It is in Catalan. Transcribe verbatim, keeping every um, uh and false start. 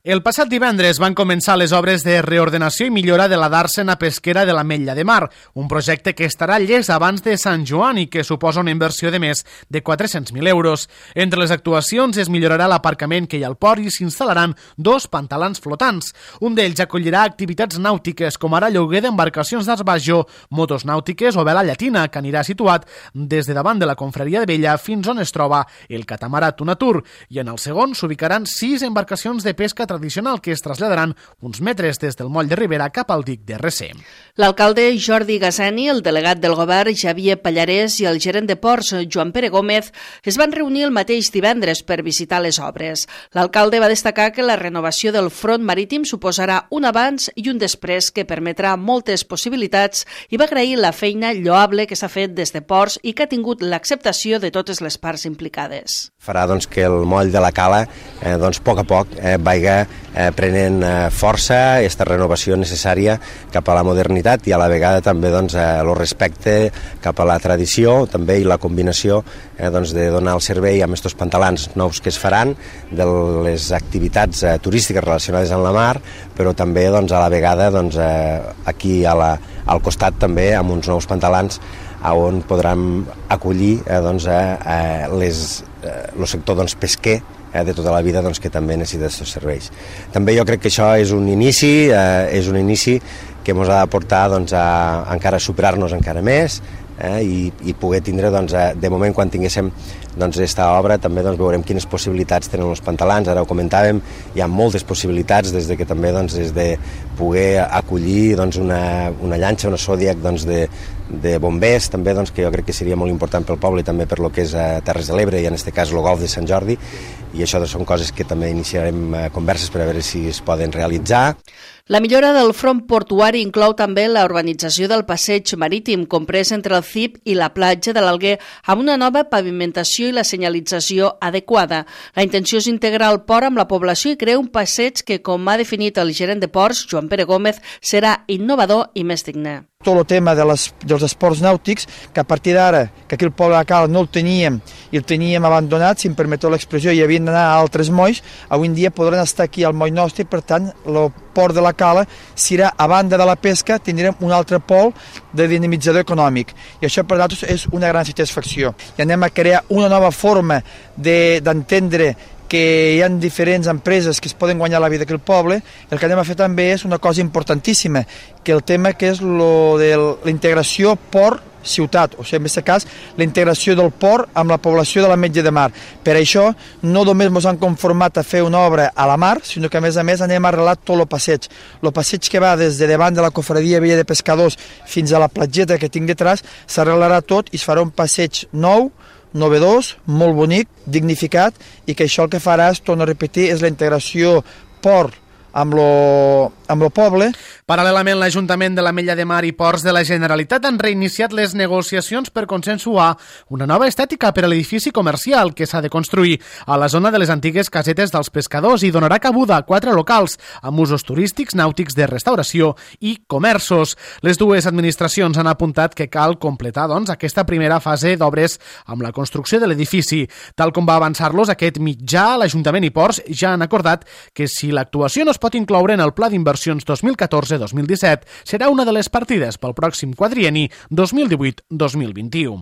El passat divendres van començar les obres de reordenació i millora de la dàrsena pesquera de l'Ametlla de Mar, un projecte que estarà llest abans de Sant Joan i que suposa una inversió de més de quatre-cents mil euros. Entre les actuacions es millorarà l'aparcament que hi ha al port i s'instal·laran dos pantalans flotants. Un d'ells acollirà activitats nàutiques, com ara lloguer d'embarcacions d'Arbajo, motos nàutiques o vela llatina, que anirà situat des de davant de la confraria de Vella fins on es troba el catamarà Tunatur, i en el segon s'ubicaran sis embarcacions de pesca tradicional que es traslladaran uns metres des del moll de Ribera cap al dic de Recer. L'alcalde Jordi Gasseni, el delegat del govern Xavier Pallarès i el gerent de ports Joan Pere Gómez es van reunir el mateix divendres per visitar les obres. L'alcalde va destacar que la renovació del front marítim suposarà un abans i un després que permetrà moltes possibilitats i va agrair la feina lloable que s'ha fet des de ports i que ha tingut l'acceptació de totes les parts implicades. Farà doncs, que el moll de la cala eh, doncs, a poc a poc eh, vagi eh, prenent eh, força, aquesta renovació necessària cap a la modernitat i a la vegada també doncs, eh, el respecte cap a la tradició també i la combinació eh, doncs, de donar el servei amb aquests pantalans nous que es faran, de les activitats eh, turístiques relacionades amb la mar, però també doncs, a la vegada doncs, eh, aquí a la, al costat també amb uns nous pantalans on podran acollir eh, doncs, eh, les, eh, el sector doncs, pesquer eh, de tota la vida doncs, que també necessita aquests serveis. També jo crec que això és un inici, eh, és un inici que ens ha de portar doncs, a encara superar-nos encara més eh, i, i poder tindre, doncs, de moment, quan tinguéssim doncs, esta obra, també doncs, veurem quines possibilitats tenen els pantalans. Ara ho comentàvem, hi ha moltes possibilitats, des de que també doncs, des de poder acollir doncs, una, una llanxa, una zodiac doncs, de, de bombers, també doncs, que jo crec que seria molt important pel poble i també per lo que és a Terres de l'Ebre i en aquest cas el golf de Sant Jordi, i això doncs, són coses que també iniciarem eh, converses per a veure si es poden realitzar. La millora del front portuari inclou també la urbanització del passeig marítim comprès entre el C I P i la platja de l'Alguer amb una nova pavimentació i la senyalització adequada. La intenció és integrar el port amb la població i crear un passeig que, com ha definit el gerent de ports, Joan Pere Gómez, serà innovador i més digne. Tot el tema de les, dels esports nàutics, que a partir d'ara, que aquí el poble de Cala no el teníem i el teníem abandonat, si em permeteu l'expressió, i havien d'anar a altres molls, avui en dia podran estar aquí al moll nostre i per tant el port de la Cala serà, a banda de la pesca, tindrem un altre pol de dinamitzador econòmic i això per nosaltres és una gran satisfacció. I anem a crear una nova forma d'entendre de, que hi ha diferents empreses que es poden guanyar la vida aquí al poble. El que anem a fer també és una cosa importantíssima, que el tema que és lo de la integració port-ciutat, o sigui, en aquest cas, la integració del port amb la població de l'Ametlla de Mar. Per això, no només ens han conformat a fer una obra a la mar, sinó que a més a més anem a arreglar tot el passeig. El passeig que va des de davant de la cofradia Vella de Pescadors fins a la platgeta que tinc detrás, s'arreglarà tot i es farà un passeig nou, novedós, molt bonic, dignificat, i que això el que farà, és, torno a repetir, és la integració port amb lo, amb lo poble. Paral·lelament, l'Ajuntament de l'Ametlla de Mar i Ports de la Generalitat han reiniciat les negociacions per consensuar una nova estètica per a l'edifici comercial que s'ha de construir a la zona de les antigues casetes dels pescadors i donarà cabuda a quatre locals amb usos turístics, nàutics, de restauració i comerços. Les dues administracions han apuntat que cal completar doncs, aquesta primera fase d'obres amb la construcció de l'edifici. Tal com va avançar-los aquest mitjà, l'Ajuntament i Ports ja han acordat que si l'actuació no es pot incloure en el Pla d'Inversions dos mil catorze dos mil disset, serà una de les partides pel pròxim quadrienni dos mil divuit dos mil vint-i-u.